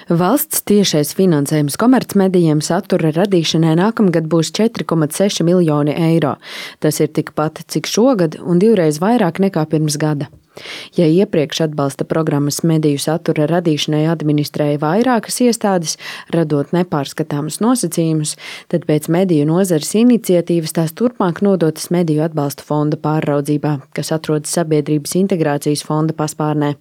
Valsts tiešais finansējums komercmedijiem satura radīšanai nākamgad būs 4,6 miljoni eiro. Tas ir tikpat, cik šogad, un 2 reizes vairāk nekā pirms gada. Ja iepriekš atbalsta programmas mediju satura radīšanai administrēja vairākas iestādes, radot nepārskatāmus nosacījumus, tad pēc mediju nozares iniciatīvas tās turpmāk nodotas Mediju atbalsta fonda pārraudzībā, kas atrodas Sabiedrības integrācijas fonda paspārnē.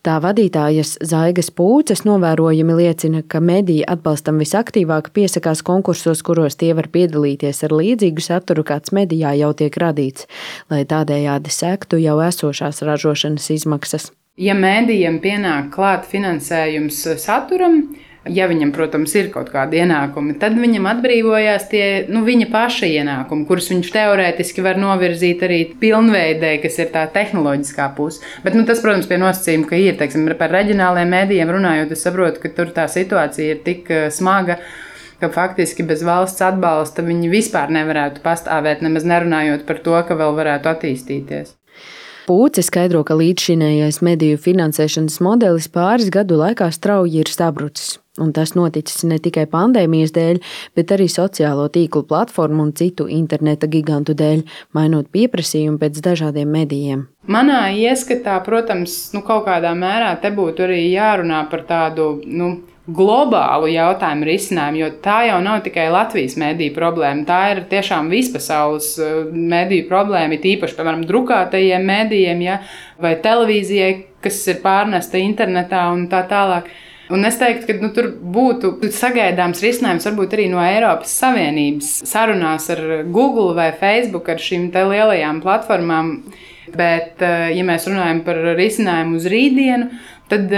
Tā vadītājas Zaigas Pūces novērojumi liecina, ka mediji atbalstam visaktīvāk piesakās konkursos, kuros tie var piedalīties ar līdzīgu saturu, kāds medijā jau tiek radīts, lai tādējādi sektu jau esošās ražošanas izmaksas. Ja mēdījiem pienāk klāt finansējums saturam, ja viņam, protams, ir kaut kādi ienākumi, tad viņam atbrīvojās tie viņa paša ienākumi, kurus viņš teorētiski var novirzīt arī pilnveidē, kas ir tā tehnoloģiskā puse. Bet tas, protams, pie nosacījuma, ka ir, teiksim, par reģionāliem mēdījiem runājot, es saprotu, ka tur tā situācija ir tik smaga, ka faktiski bez valsts atbalsta viņi vispār nevarētu pastāvēt, nemaz nerunājot par to, ka vēl varētu attīstīties. Pūce skaidro, ka līdzšinējais mediju finansēšanas modelis pāris gadu laikā strauji ir sabrucis. Un tas noticis ne tikai pandēmijas dēļ, bet arī sociālo tīklu platformu un citu interneta gigantu dēļ, mainot pieprasījumu pēc dažādiem medijiem. Manā ieskatā, protams, kaut kādā mērā te būtu arī jārunā par tādu globālu jautājumu risinājumu, jo tā jau nav tikai Latvijas mediju problēma, tā ir tiešām vispasaules mediju problēma, īpaši, piemēram, drukātajiem medijiem, vai televīzijai, kas ir pārnesta internetā un tā tālāk. Un es teiktu, ka tur būtu sagaidāms risinājums varbūt arī no Eiropas Savienības sarunās ar Google vai Facebook, ar šīm te lielajām platformām. Bet, ja mēs runājam par risinājumu uz rītdienu, tad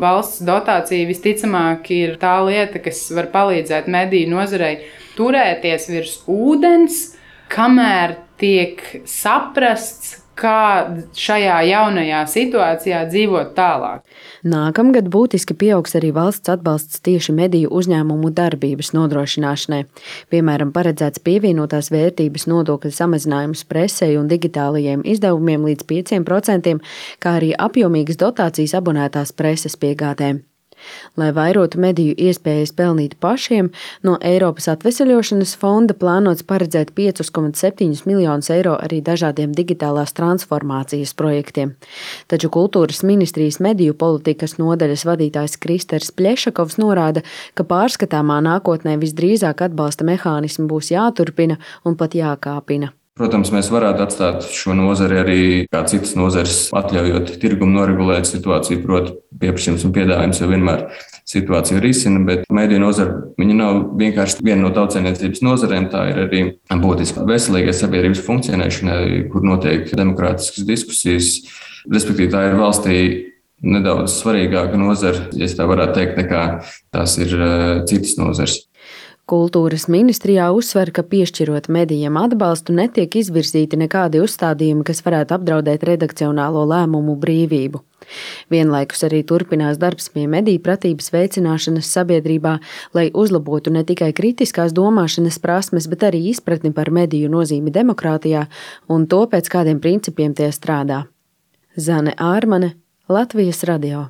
valsts dotācija visticamāk ir tā lieta, kas var palīdzēt mediju nozarei turēties virs ūdens, kamēr tiek saprasts, kā šajā jaunajā situācijā dzīvot tālāk. Nākamgad būtiski pieaugs arī valsts atbalsts tieši mediju uzņēmumu darbības nodrošināšanai. Piemēram, paredzēts pievienotās vērtības nodokļa samazinājums presei un digitālajiem izdevumiem līdz 5%, kā arī apjomīgas dotācijas abonētās preses piegādēm. Lai vairotu mediju iespējas pelnīt pašiem, no Eiropas atveseļošanas fonda plānots paredzēt 5,7 miljonus eiro arī dažādiem digitālās transformācijas projektiem. Taču Kultūras ministrijas mediju politikas nodaļas vadītājs Kristers Pļešakovs norāda, ka pārskatāmā nākotnē visdrīzāk atbalsta mehānismi būs jāturpina un pat jākāpina. Protams, mēs varētu atstāt šo nozari arī kā citas nozares, atļaujot tirgumu noregulēt situāciju, proti pieprasījums un piedāvājums jau vienmēr situāciju risina, bet mediju nozara, viņa nav vienkārši viena no tautsaimniecības nozarēm, tā ir arī būtiska veselīgai sabiedrības funkcionēšanai, kur notiek demokrātiskas diskusijas, respektīvi tā ir valstī nedaudz svarīgāka nozara, ja tā varētu teikt, nekā tās ir citas nozares. Kultūras ministrijā uzsver, ka piešķirot medijiem atbalstu netiek izvirzīti nekādi uzstādījumi, kas varētu apdraudēt redakcionālo lēmumu brīvību. Vienlaikus arī turpinās darbs pie mediju pratības veicināšanas sabiedrībā, lai uzlabotu ne tikai kritiskās domāšanas prasmes, bet arī izpratni par mediju nozīmi demokrātijā un to, pēc kādiem principiem tie strādā. Zane Ārmane, Latvijas radio.